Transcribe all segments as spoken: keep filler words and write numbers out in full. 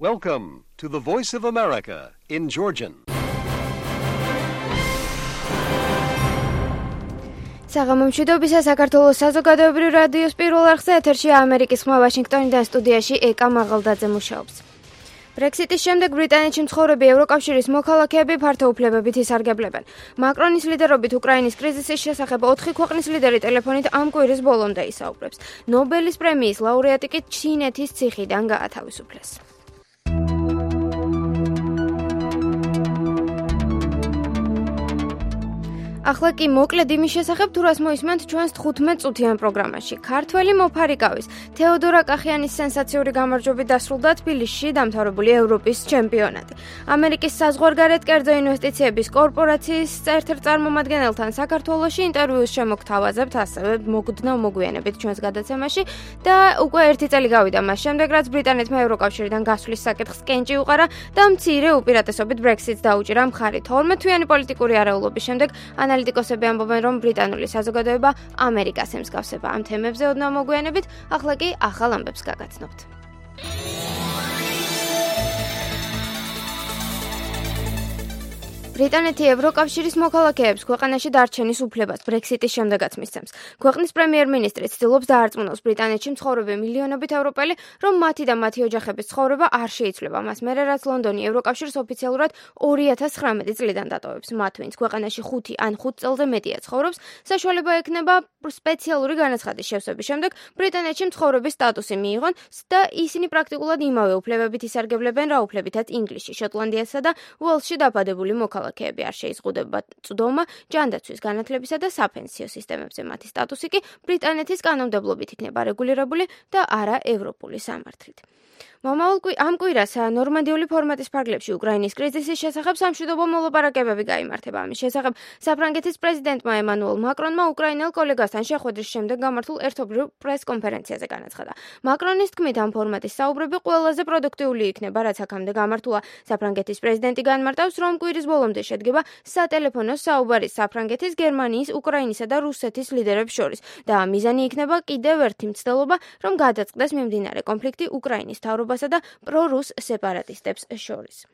Welcome to the Voice of America in Georgian. საღამომშვიდობისა საქართველოს საზოგადოებრივ რადიოს პირველ არხზე ეთერშია ამერიკის ხმა ვაშინგტონიდან სტუდიაში ეკა მაღალდაძე მუშაობს. ბრექსიტის შემდეგ ბრიტანეთში მცხოვრები ევროკავშირის მოქალაქეები ფართოუფლებებით ისარგებლებენ. მაკრონის ლიდერობით უკრაინის კრიზისის შესახებ ოთხი ქვეყნის ლიდერი ტელეფონით ამ კვირის ბოლომდე ისაუბრებს. ნობელის პრემიის ლაურეატი კი ჩინეთის ციხიდან გაათავისუფლეს. ახლა კი მოკლედ იმის შესახებ თუ რას მოისმენთ ჩვენს თხუთმეტ წუთიან პროგრამაში. ქართველი მოფარიკავის თეოდორა კახიანის სენსაციური გამარჯვებით დასრულდა თბილისში დამთავრებული ევროპის ჩემპიონატი. ამერიკის საზღვარგარეთ კერძო ინვესტიციების კორპორაციის ერთ-ერთ წარმომადგენელთან საქართველოში ინტერვიუს შემოგთავაზებთ ასევე მოგდნავ მოგვიანებით ჩვენს გადაცემაში და უკვე ერთი წელი გავიდა მას შემდეგ, რაც ბრიტანეთმა ევროკავშირიდან გასვლის საკითხს კენჭი უყარა და მცირე უპირატესობით ბრექსიტს დაუჭირა მხარი. თორმეტ თვიანი პოლიტიკური არეულობის შემდეგ ანალიტიკოსები ამბობენ, რომ ბრიტანული საზოგადოება ამერიკას ემსგავსება. ამ თემებზე ოდნავ მოგვიანებით, ახლა კი ახალ ამბებს გაგაცნობთ. ბრიტანეთი ევროკავშირის მოქალაქეებს ქვეყანაში დარჩენის უფლებას ბრექსიტის შემდეგაც მისცემს. ქვეყნის პრემიერ-მინისტრი ცდილობს დაარწმუნოს ბრიტანეთში მცხოვრები მილიონობით ევროპელი, რომ მათი და მათი ოჯახების ცხოვრება არ შეიცვლება. მას მერე რაც ლონდონი ევროკავშირს ოფიციალურად ორი ათას ცხრამეტი წლიდან დატოვებს. მათ ვინც ქვეყანაში ხუთი ან ხუთ წელზე მეტია ცხოვრობს, საშუალება ექნება სპეციალური განაცხადის შევსების შემდეგ ბრიტანეთში მცხოვრების სტატუსი მიიღონ და ისინი პრაქტიკულად იმავე უფლებებით ისარგებლებენ, რა უფლებითაც ინგლისში, შოტლანდიასა და უელსში დაბადებული მოქალაქეები. არ შეიზღუდება წვდომა, ჯანდაცვის, განათლებისა და საფენსიო სისტემებზე. მათი სტატუსი კი ბრიტანეთის კანონმდებლობით იქნება რეგულირებული და არა ევროპული სამართლით. მომავალ ამ კვირას ნორმანდიული ფორმატის ფარგლებში უკრაინის კრიზისის შესახებ სამშვიდობო მოლაპარაკებები გაიმართება. ამის შესახებ საფრანგეთის პრეზიდენტმა ემანუელ მაკრონმა უკრაინელ კოლეგასთან შეხვედრის შემდეგ გამართულ ერთობლივ პრეს-კონფერენციაზე განაცხადა. მაკრონის თქმით, ამ ფორმატის საუბრები ყველაზე პროდუქტიული იქნება, რაც აქამდე გამართულა. საფრანგეთის პრეზიდენტი განმარტავს, რომ კვირის ბოლომდე შედგება სატელეფონო საუბარი საფრანგეთის, გერმანიის, უკრაინისა და რუსეთის ლიდერებს შორის და მიზანი იქნება კიდევ ერთი მცდელობა, რომ გადაწყდეს მიმდინარე კონფლიქტი უკრაინის მთავრობასა და პრორუს სეპარატისტებს შორის.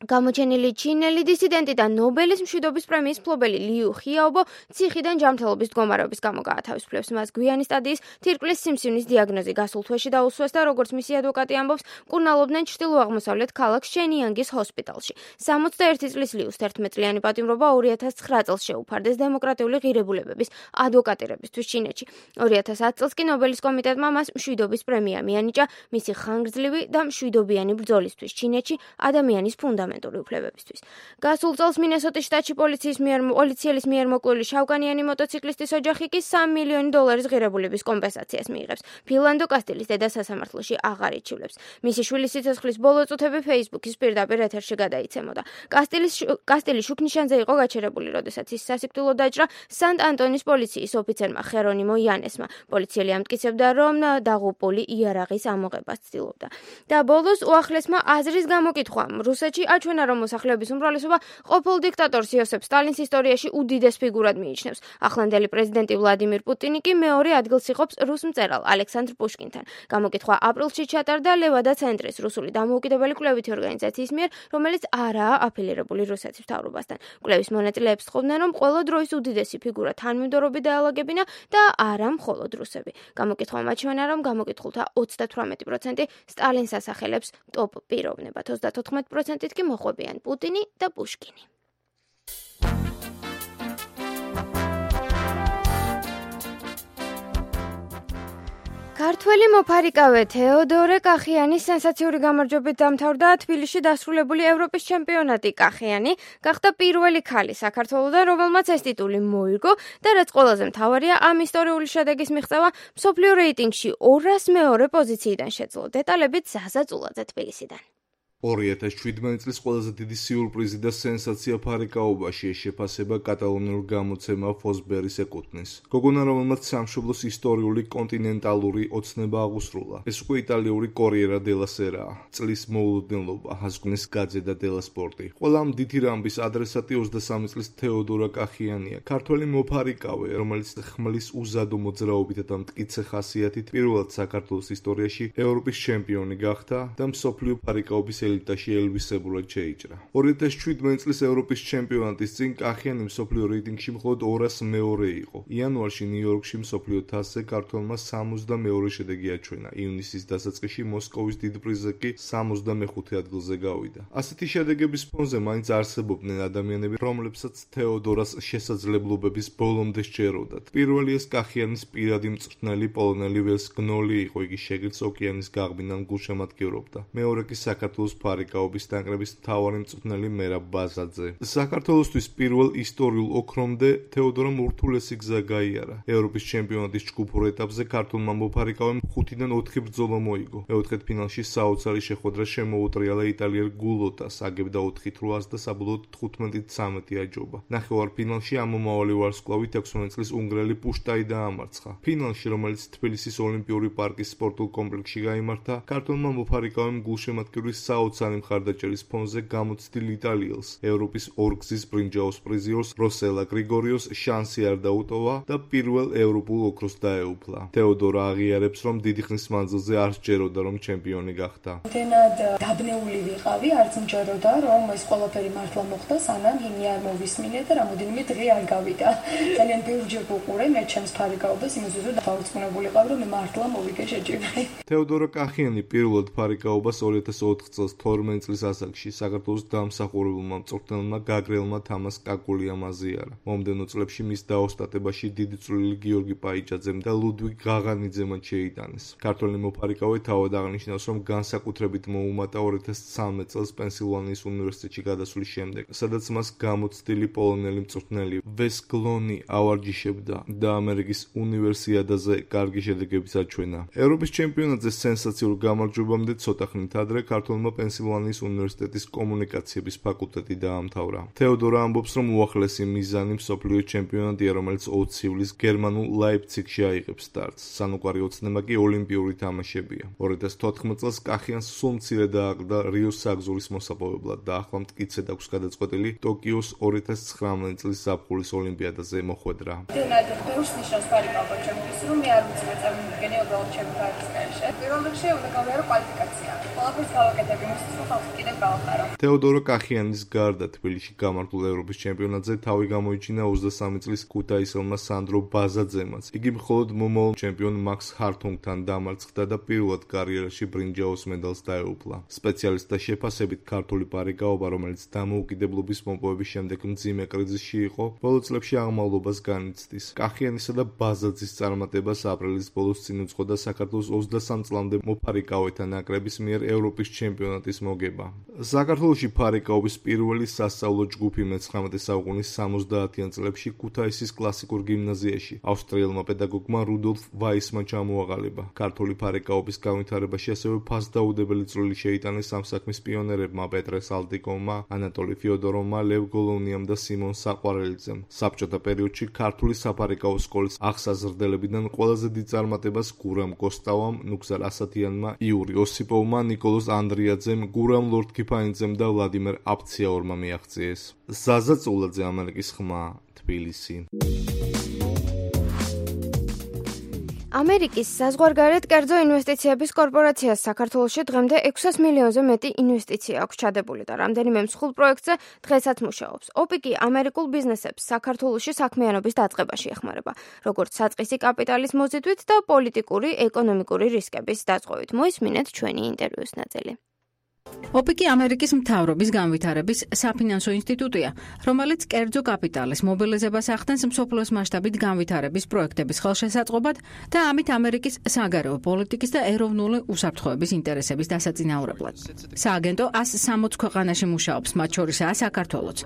გამოჩენილი ჩინელი დისიდენტი და ნობელის მშვიდობის პრემიის მფლობელი ლიუ ხიაობო ციხიდან ჯანმრთელობის მდგომარეობის გამო გაათავისუფლებს. მას გვიანი სტადიის თირკმლის სიმსივნის დიაგნოზი გასულ თვეში დაუსვეს და როგორც მისი ადვოკატი ამბობს, მკურნალობდნენ ჩრდილო-აღმოსავლეთ ქალაქ შენიანგის ჰოსპიტალში. სამოცდაერთი წლის ლიუს თერთმეტწლიანი პატიმრობა ორი ათას ცხრა წელს შეუფარდეს დემოკრატიული ღირებულებების ადვოკატირებისთვის ჩინეთში. ორი ათას ათი წელს კი ნობელის კომიტეტმა მას მშვიდობის პრემია მიანიჭა მისი ხანგრძლივი და მშვიდობიანი ბრძოლისთვის ჩინეთში ადამიანის ფუნდამენტ უფლებებისთვის. გასულ წელს მინესოტის შტატში პოლიციის მიერ პოლიციელის მიერ მოკლული შავკანიანი მოტოციკლისტის ოჯახი კი სამი მილიონი დოლარის ღირებულების კომპენსაციას მიიღებს. ფილანდო კასტილის დედა სასამართლოში აღარ იჩივლებს. მისი შვილის სიცოცხლის ბოლო წუთები Facebook-ის პირდაპირ ეთერში გადაიცემოდა. კასტილის კასტილი შუქნიშანზე იყო გაჩერებული, როდესაც ის სასიკვდილო დაჭრა სანტ-ანტონის პოლიციის ოფიცერმა ხერონიმო იანესმა. პოლიციელი ამტკიცებდა, რომ დაღუპული იარაღის ამოღებას ცდილობდა. და ბოლოს უახლესმა აზრის გამოკითხვა რუსეთში აჩვენა, რომ მოსახლეობის უმრავლესობა ყოფილ დიქტატორს იოსებ სტალინს ისტორიაში უდიდეს ფიგურად მიიჩნევს. ახლანდელი პრეზიდენტი ვლადიმირ პუტინი კი მეორე ადგილს იღებს რუს მწერალ ალექსანდრ პუშკინთან. გამოკითხვა აპრილში ჩატარდა ლევადა ცენტრის რუსული დამოუკიდებელი კვლევითი ორგანიზაციის მიერ, რომელიც არაა აფილირებული რუსეთის მთავრობასთან. კვლევის მონაწილეებს თხოვდნენ, რომ ყველა დროის უდიდესი ფიგურა თანმიმდევრობით დაალაგებინა და არა მხოლოდ რუსები. გამოკითხვამ აჩვენა, რომ გამოკითხულთა ოცდათვრამეტი პროცენტი სტალინს ასახელებს ტოპ პიროვნებად, ოცდათოთხმეტი პროცენტით კი მოხვებიან პუტინი და პუშკინი. ქართველი მოფარიკავე თეოდორე კახიანის სენსაციური გამარჯვებით დამთავრდა თბილისში დასრულებული ევროპის ჩემპიონატი. კახიანი გახდა პირველი ქალი საქართველოდან, რომელმაც ეს ტიტული მოიგო და რაც ყველაზე მთავარია, ამ ისტორიული შედეგის მიღწევა მსოფლიო რეიტინგში ორას მეორე პოზიციიდან შეძლო. დეტალებით ზაზა წულაძე თბილისიდან. ორი ათას შვიდმეტი წლის ყველაზე დიდი სიურპრიზი და სენსაცია ფარიკაობაში ეს შეფასება კატალონიურ გამოცემა ფოსბერის ეკუთვნის. გოგონა, რომელმაც სამშობლოს ისტორიული კონტინენტალური ოცნება აღუსრულა. ეს უკვე იტალიური კორიერა დელა სერაა. წლის მოულოდნელობა, ასკვნის გაძედა დელა სპორტი. ყველა ამ დიდი რამბის ადრესატი ოცდასამი წლის თეოდორა კახიანია. ქართველი მოფარიკავე, რომელიც ხმლის უზადო მოძრაობით და მტკიცე ხასიათით პირველად საქართველოს ისტორიაში ევროპის ჩემპიონი გახდა და მსოფლიო ფარიკაობის ელიტაში ელვისებურად შეიჭრა. ორი ათას შვიდმეტი წლის ევროპის ჩემპიონატის წინ კახიანი მსოფლიო რეიტინგში მხოლოდ ორას მეორე იყო. იანვარში ნიუ-იორკში მსოფლიო თასზე ქართველმა სამოცდამეორე შედეგი აჩვენა. ივნისის დასაწყისში მოსკოვის დიდ პრიზზე კი სამოცდამეხუთე ადგილზე გავიდა. ასეთი შედეგების ფონზე მაინც არსებობდნენ ადამიანები, რომლებსაც თეოდორას შესაძლებლობების ბოლომდე სჯეროდათ. პირველი ეს კახიანის პირადი მწვრთნელი პოლონელი ველსგნოლი იყო, იგი შეგირდს ოკეანის გაღბინან გულშემატკივრობდა. მეორე კი საქართველოს ფარიკაობის ნაკრების მთავარი მწვრთნელი მერაბ ბაზაძე. საქართველოსთვის პირველ ისტორიულ ოქრომდე თეოდორამ ურთულესი გზა გაიარა. ევროპის ჩემპიონატის ჯგუფურ ეტაპზე ქართულმა მოფარიკავემ ხუთიდან ოთხი ბრძოლა მოიგო. მეოთხედფინალში საოცარი შეხვედრა შემოუტრიალა იტალიელ გულოტას, აგებდა ოთხი თვრას და საბოლოოდ თხუთმეტი ცამეტი აჯობა. ნახევარფინალში ამომავალი ვარსკვლავით ექვსმეტი წლის უნგრელი პუშტაი დაამარცხა. ფინალში, რომელიც თბილისის ოლიმპიური პარკის სპორტულ კომპლექსში გაიმართა, ქართულმა მოფარიკავემ გულშემატკივრის საოცარი მხარდაჭერის ფონზე გამოცდილ იტალიელს, ევროპის ორგზის ბრინჯაოს პრიზიორს როსელა გრიგორიოს შანსი არ დაუტოვა და პირველ ევროპულ ოქროს დაეუფლა. თეოდორა აღიარებს, რომ დიდი ხნის მანძილზე არ სჯეროდა, რომ ჩემპიონი გახდა. Დენად დაბნეული ვიყავი, არც მჯეროდა, რომ ეს ყველაფერი მართლა მოხდა, სანამ იმი არ მოვისმინე და რამოდენიმე დღე არ გავიდა. ძალიან ბევრჯერ ვუყურე მე ჩემს ფარიკაობას, იმისთვის რომ დავწმუნებულიყავ, რომ მე მართლა მოვიგე შეჯიბრი. თეოდორა კახიანი პირველად ფარიკაობას ორი ათას ოთხ წელს თორმეტი წლის ასაკში საქართველოს დამსახურებულმა მწვრთნელმა გაგრელმა თამას კაკულიამ აზიარა. მომდევნო წლებში მის დაოსტატებაში დიდი წვლილი გიორგი პაიჭაძემ და ლუდვიგ ღაღანიძემ შეიტანეს. ქართველი მოფარიკავე თავად აღნიშნავს, რომ განსაკუთრებით მოუმატა ორი ათას ცხრამეტ წელს პენსილვანიის უნივერსიტეტში გადასვლის შემდეგ, სადაც მას გამოცდილი პოლონელი მწვრთნელი ვესგლონი ავარჯიშებდა და ამერიკის უნივერსიადაზე კარგი შედეგებიც აჩვენა. ევროპის ჩემპიონატზე სენსაციურ გამარჯვებამდე ცოტა ხნით ადრე ქართველმა პენსილვანიის უნივერსიტეტის კომუნიკაციების ფაკულტეტი დაამთავრა. თეოდორა ამბობს, რომ უახლესი მიზანი მსოფლიო ჩემპიონატია, რომელიც ოც ივლისს გერმანულ ლაიფციგში აიღებს სტარტს. სანუკვარი ოცნება კი ოლიმპიური თამაშებია. ორი ათას თოთხმეტ წელს კახიანს სულ მცირე დააყრდა რიოს საგზურის მოსაპოვებლად და ახლა მტკიცედ აქვს გადაწყვეტილი ტოკიოს ორი ათას ცხრამეტი წლის ზაფხულის ოლიმპიადაზე მოხვედრა. დენად ბევრს ნიშნავს ფარიკაობა ჩემთვის, რომ მე არ ვიცი წარმოგიდგენია უბრალოდ ჩემი ფარიკაობაში. პირველ რიგში უნდა გავიარო კვალიფიკაცია. ყველაფერს გავაკეთებ იმისთვის, რომ ხალხი კიდევ გავახარო. თეოდორა კახიანის გარდა თბილისში გამართულ ევროპის ჩემპიონატზე თავი გამოიჩინა ოცდასამი წლის ქუთაისელმა სანდრო ბაზაძემაც. იგი მხოლოდ მომავალ ჩემპიონ მაქს ჰართუნგთან დამარცხდა და პირველად კარიერაში ბრინჯაოს მედალს დაეუფლა. სპეციალისტთა შეფასებით ქართული ფარიკაობა, რომელიც დამოუკიდებლობის მოპოვების შემდეგ მძიმე კრიზისში იყო, ბოლო წლებში აღმავლობას განიცდის. კახიანისა და ბაზაძის წარმატებას აპრილის ბოლოს წინ უძღოდა საქართველოს ოცდასამ წლამდე მოფარიკავეთა ნაკრების მიერ ევროპის ჩემპიონატის მოგება. საქართველოში ფარიკაობის პირველი სასწავლო ჯგუფი მეცხრამეტე საუკუნის სამოცდაათიან წლებში ქუთაისის კლასიკურ გიმნაზიაში ავსტრიელმა პედაგოგმა რუდოლფ ვაისმა ჩამოაყალიბა. ქართული ფარიკაობის განვითარებაში ასევე ფასდაუდებელი წვლილი შეიტანეს ამ საქმის პიონერებმა პეტრე სალტიკოვმა, ანატოლი ფიოდოროვმა, ლევ გოლოვნიამ და სიმონ საყვარელიძემ. საბჭოთა პერიოდში ქართული საფარიკაო სკოლის აღსაზრდელებიდან ყველაზე დიდ წარმატებას გურამ კოსტავამ, ნუგზარ ასათიანმა, იური ოსიპოვმა, ნიკოლოზ ანდრიაძემ, გურამ ლორთქიფანიძემ და ვლადიმერ აფციაურმა მიაღწიეს. ზაზა წულაძე, ამერიკის ხმა, თბილისი. ამერიკის საზღვარგარეთ კერძო ინვესტიციების კორპორაციას საქართველოში დღემდე ექვსას მილიონზე მეტი ინვესტიცია აქვს ჩადებული და რამდენიმე მსხვილ პროექტზე დღესაც მუშაობს. ოპიკი ამერიკულ ბიზნესებს საქართველოში საქმიანობის დაწყებაში ეხმარება, როგორც საწყისი კაპიტალის მოზიდვით და პოლიტიკური, ეკონომიკური რისკების დაწყვეტით. მოისმინეთ ჩვენი ინტერვიუს ნაწილი. ოპიკი ამერიკის მთავრობის განვითარების საფინანსო ინსტიტუტია, რომელიც კერძო კაპიტალის მობილიზებას ახდენს მსოფლიოს მასშტაბით განვითარების პროექტების ხელშესაწყობად და ამით ამერიკის საგარეო პოლიტიკის და ეროვნული უსაფრთხოების ინტერესების დასაწინაურებლად. სააგენტო ას სამოცი ქვეყანაში მუშაობს, მათ შორისაა საქართველოც.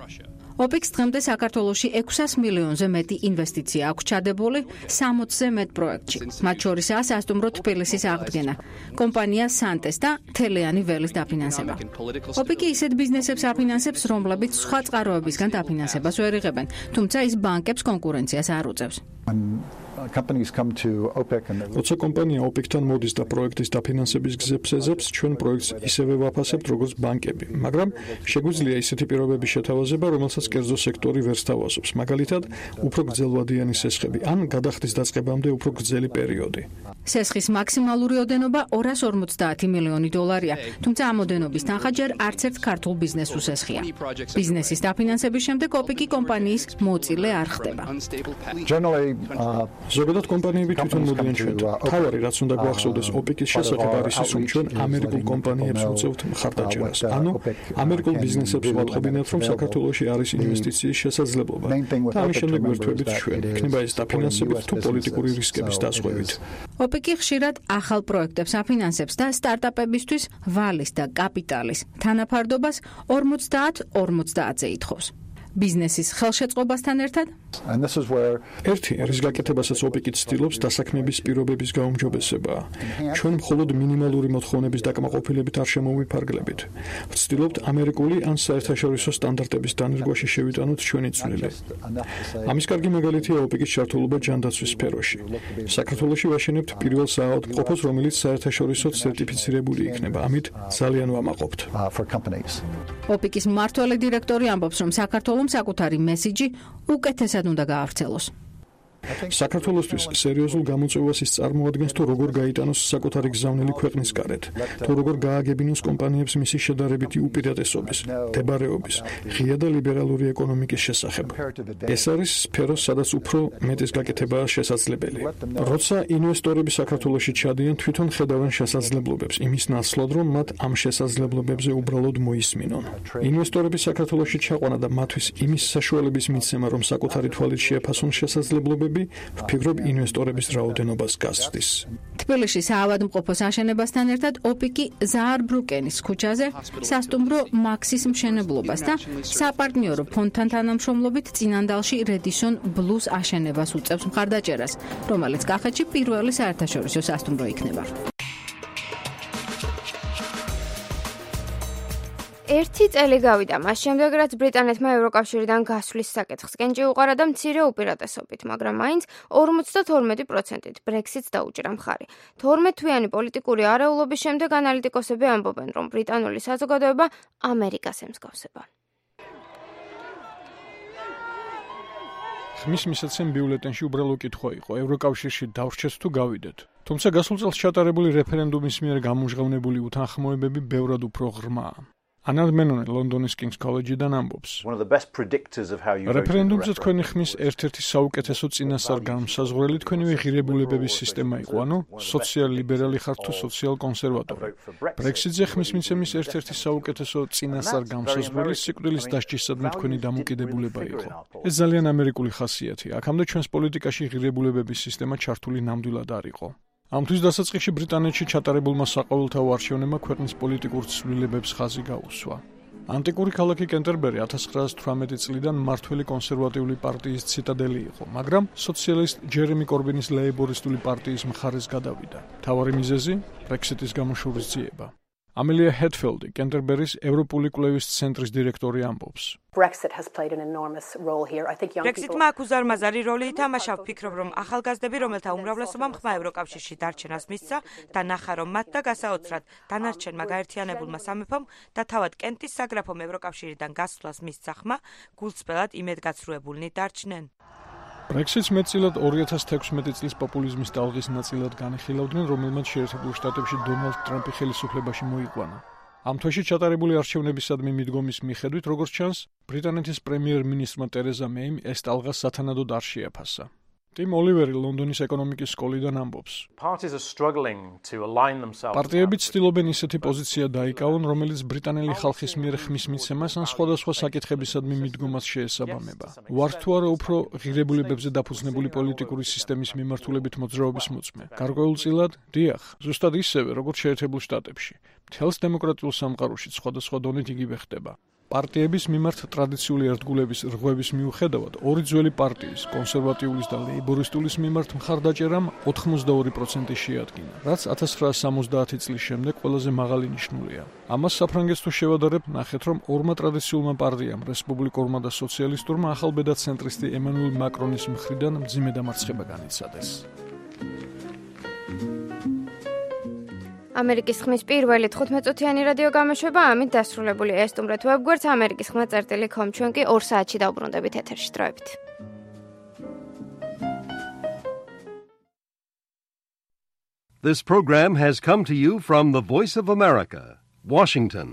ოპეკს დღემდე საქართველოში ექვსას მილიონზე მეტი ინვესტიცია აქვს ჩადებული სამოცზე მეტ პროექტში. მათ შორისაა სასტუმრო თბილისის აღდგენა, კომპანია სანტეს და თელიანი ველის დაფინანსება. ოპეკი ისეთ ბიზნესებს აფინანსებს, რომლებიც სხვა წყაროებისგან დაფინანსებას ვერ იღებენ, თუმცა ის ბანკებს კონკურენციას არ უწევს. როცა კომპანია ოპეკთან მოდის და პროექტის დაფინანსების გზებს ეძებს, ჩვენ პროექტს ისევე ვაფასებთ, როგორც ბანკები, მაგრამ შეგვიძლია ისეთი პირობების შეთავაზება, რომელსაც კერძო სექტორი ვერ სთავაზობს, მაგალითად, უფრო გრძელვადიანი სესხები ან გადახდის დაწყებამდე უფრო გრძელი პერიოდი. სესხის მაქსიმალური ოდენობა ორას ორმოცდაათი მილიონი დოლარია, თუმცა ამ ოდენობის თანხა ჯერ არც ერთ ქართულ ბიზნესს უსესხია. ბიზნესის დაფინანსების შემდეგ ოპეკი კომპანიის მოწილე არ ხდება. ზოგადად კომპანიები თვითონ მოდიან ჩვენთან. თავარი რაც უნდა გვახსოვდეს ოპეკის შესახებ არის ის, რომ ჩვენ ამერიკულ კომპანიებს უწევთ მხარდაჭერას. ანუ ამერიკულ ბიზნესებს ვატყობინებთ, რომ საქართველოში არის ინვესტიციის შესაძლებლობა. და ამის შემდეგ ვერთვებით ჩვენ, იქნება ეს დაფინანსებით თუ პოლიტიკური რისკების დაზღვევით. ოპეკი ხშირად ახალ პროექტებს აფინანსებს და სტარტაპებისთვის ვალის და კაპიტალის თანაფარდობას ორმოცდაათ ორმოცდაათზე ითხოვს. ბიზნესის ხელშეწყობასთან ერთად ერთი რის გაკეთებასაც ოპეკი ცდილობს დასაქმების პირობების გაუმჯობესებაა. ჩვენ მხოლოდ მინიმალური მოთხოვნების დაკმაყოფილებით არ შემოვიფარგლებით. ვცდილობთ ამერიკული ან საერთაშორისო სტანდარტების დანერგვაში შევიტანოთ ჩვენი წვლილი. ამის კარგი მაგალითია ოპეკის ჩართულობა ჯანდაცვის სფეროში. საქართველოში ვაშენებთ პირველ საავადმყოფოს, რომელიც საერთაშორისო სერტიფიცირებული იქნება. ამით ძალიან ვამაყობთ. ოპეკის მმართველი დირექტორი ამბობს, რომ საქართველოს საკუთარი მესიჯი უკეთესად უნდა გაავრცელოს. საქართველოსთვის სერიოზულ გამოწვევას ის წარმოადგენს, თუ როგორ გაიტანოს საკუთარი გზავნილი ქვეყნის გარეთ, თუ როგორ გააგებინოს კომპანიებს მისი შედარებითი უპირატესობის, მდებარეობის, ღია და ლიბერალური ეკონომიკის შესახებ. ეს არის სფერო, სადაც უფრო მეტის გაკეთებაა შესაძლებელი. როცა ინვესტორები საქართველოში ჩადიან, თვითონ ხედავენ შესაძლებლობებს, იმის ნაცვლად, რომ მათ ამ შესაძლებლობებზე უბრალოდ მოისმინონ. ინვესტორები საქართველოში ჩაყვანა და მათთვის იმის საშუალების მიცემა, რომ საკუთარი თვალით შეაფასონ შესაძლებლობები, ვფიქრობ ინვესტორების რაოდენობას გაზრდის. თბილისში საავადმყოფოს აშენებასთან ერთად ოპეკი ზაარბრუკენის ქუჩაზე სასტუმრო მაქსის მშენებლობას და საპარტნიორო ფონდთან თანამშრომლობით წინანდალში რედისონ ბლუს აშენებას უწევს მხარდაჭერას, რომელიც კახეთში პირველი საერთაშორისო სასტუმრო იქნება. ერთი წელი გავიდა მას შემდეგ, რაც ბრიტანეთმა ევროკავშირიდან გასვლის საკითხს კენჭი უყარა და მცირე უპირატესობით, მაგრამ მაინც ორმოცდათორმეტი პროცენტით ბრექსიტს დაუჭირა მხარი. თორმეტთვიანი პოლიტიკური არეულობის შემდეგ ანალიტიკოსები ამბობენ, რომ ბრიტანული საზოგადოება ამერიკას ემსგავსება. ხმის მისაცემ ბიულეტენში უბრალო კითხვა იყო, ევროკავშირში დავრჩეთ თუ გავიდეთ. თუმცა გასულ წელს ჩატარებული რეფერენდუმის მიერ გამჟღავნებული უთანხმოებები ბევრად უფრო ღრმაა. ანად მენონე ლონდონის კინგს კოლეჯიდან ამბობს. რეფერენდუმზე თქვენი ხმის ერთ-ერთი საუკეთესო წინასწარ-განმსაზღვრელი თქვენივე ღირებულებების სისტემა იყო, ანუ სოციალ-ლიბერალი ხართ თუ სოციალ-კონსერვატორი. ბრექსიტზე ხმის მიცემის ერთ-ერთი საუკეთესო წინასწარ-განმსაზღვრელი სიკვდილის დასჯისადმი თქვენი დამოკიდებულება იყო. ეს ძალიან ამერიკული ხასიათია. აქამდე ჩვენს პოლიტიკაში ღირებულებების სისტემა ჩართული ნამდვილად არ იყო. ამთვის დასაწყისში ბრიტანეთში ჩატარებულმა საყოველთაო არჩევნებმა ქვეყნის პოლიტიკურ ცვლილებებს ხაზი გაუსვა. ანტიკური ქალაქი კენტერბერი ათას ცხრაასი თვრამეტი წლიდან მმართველი კონსერვატიული პარტიის ციტადელი იყო, მაგრამ სოციალისტ ჯერემი კორბინის ლეიბორისტული პარტიის მხარეს გადავიდა. მთავარი მიზეზი ბრექსიტის გამოშურისძიება. ამელია ჰედფელდი, კენტერბერის ევროპული კვლევის ცენტრის დირექტორი ამბობს. ბრექსიტმა აქ უზარმაზარი როლი ითამაშა. ვფიქრობ, რომ ახალგაზრდები, რომელთა უმრავლესობამ ხმა ევროკავშირში დარჩენას მისცა და ნახა, რომ მათ და გასაოცრად დანარჩენმა გაერთიანებულმა სამეფომ და თავად კენტის საგრაფომ ევროკავშირიდან გასვლას მისცა ხმა, გულწრფელად იმედგაცრუებულნი დარჩნენ. ბრექსიტს მეტწილად ორი ათას თექვსმეტი წლის პოპულიზმის ტალღის ნაწილად განიხილავდნენ, რომელმაც შეერთებულ შტატებში დონალდ ტრამპი ხელისუფლებაში მოიყვანა. ამ თვეში ჩატარებული არჩევნებისადმი მიდგომის მიხედვით, როგორც ჩანს, ბრიტანეთის პრემიერ-მინისტრმა ტერეზა მეიმ ეს ტალღა სათანადოდ არ შეაფასა. ტიმ ოლივერი ლონდონის ეკონომიკის სკოლიდან ამბობს. პარტიები ცდილობენ ისეთი პოზიცია დაიკავონ, რომელიც ბრიტანელი ხალხის მიერ ხმის მიცემას ან სხვადასხვა საკითხებისადმი მიდგომას შეესაბამება. ვართ თუ არა უფრო ღირებულებებზე დაფუძნებული პოლიტიკური სისტემის მიმართულებით მოძრაობის მოწმე. გარკვეულწილად, დიახ, ზუსტად ისევე, როგორც შეერთებულ შტატებში. მთელს დემოკრატიულ სამყაროში სხვადასხვა დონით იგივე ხდება. პარტიების მიმართ ტრადიციული ერთგულების რღვევის მიუხედავად, ორი ძველი პარტიის, კონსერვატიულის და ლეიბორისტულის მიმართ მხარდაჭერამ ოცდაორი პროცენტი შეადგინა, რაც ათას ცხრაასი სამოცდაათი წლის შემდეგ ყველაზე მაღალი ნიშნულია. ამას საფრანგეთს თუ შევადარებთ, ნახეთ, რომ ორმა ტრადიციულმა პარტიამ, რესპუბლიკურმა და სოციალისტურმა ახალბედა ცენტრისტი ემანუელ მაკრონის მხრიდან მძიმე დამარცხება განიცადეს. ამერიკის ხმის პირველი თხუთმეტწუთიანი რადიო გამოშვება ამით დასრულებულია. ესტუმრეთ ვებგვერდს ამერიკის ხმა წერტილი კომ, ჩვენ კი ორ საათში დავბრუნდებით ეთერში. დროებით. This program has come to you from the Voice of America, Washington.